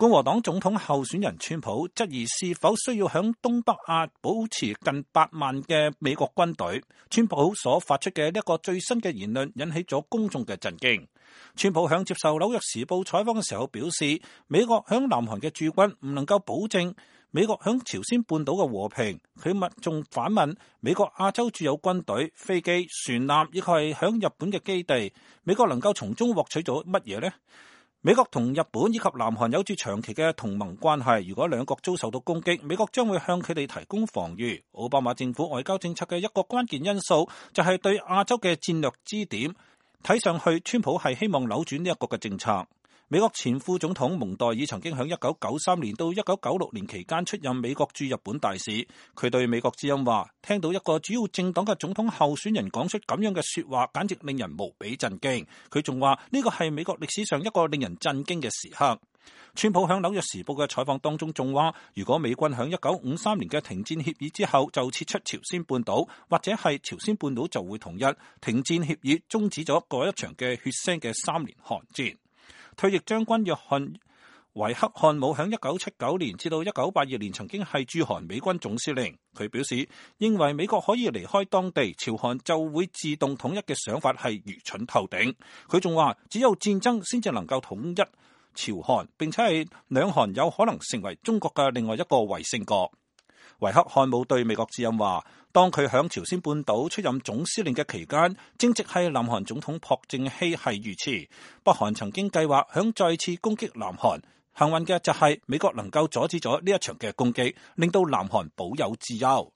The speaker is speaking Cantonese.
共和黨總統候選人川普質疑是否需要響東北亞保持近8萬嘅美國軍隊。川普所發出嘅呢一個最新嘅言論引起咗公眾嘅震驚。川普響接受紐約時報採訪嘅時候表示，美國響南韓嘅駐軍唔能夠保證美國響朝鮮半島嘅和平。佢仲反問美國亞洲駐有軍隊、飛機、船艦，以及係響日本嘅基地，美國能夠從中獲取咗乜嘢呢？美國同日本以及南韓有住長期嘅同盟關係，如果兩國遭受到攻擊，美國將會向佢哋提供防禦。奧巴馬政府外交政策嘅一個關鍵因素就係對亞洲嘅戰略支點。睇上去，川普係希望扭轉呢一個嘅政策。美國前副總統蒙代爾曾經喺1993年到1996年期間出任美國駐日本大使。佢對美國之音話，聽到一個主要政黨嘅總統候選人講出咁樣嘅說話，簡直令人無比震驚。佢仲話呢個係美國歷史上一個令人震驚嘅時刻。川普喺紐約時報嘅採訪當中仲話，如果美軍喺1953年嘅停戰協議之後就撤出朝鮮半島，或者係朝鮮半島就會統一。停戰協議終止咗嗰一場嘅血腥嘅3年韓戰。退役將軍約翰維克漢姆喺1979年至到1982年曾經係駐韓美軍總司令。佢表示，認為美國可以離開當地，朝韓就會自動統一嘅想法係愚蠢透頂。佢仲話，只有戰爭先至能夠統一朝韓，並且係兩韓有可能成為中國嘅另外一個衛星國。維克漢姆對美國之音話，當佢響朝鮮半島出任總司令嘅期間，正值係南韓總統朴正熙係遇刺，北韓曾經計劃響再次攻擊南韓。幸運嘅就係美國能夠阻止咗呢一場嘅攻擊，令到南韓保有自由。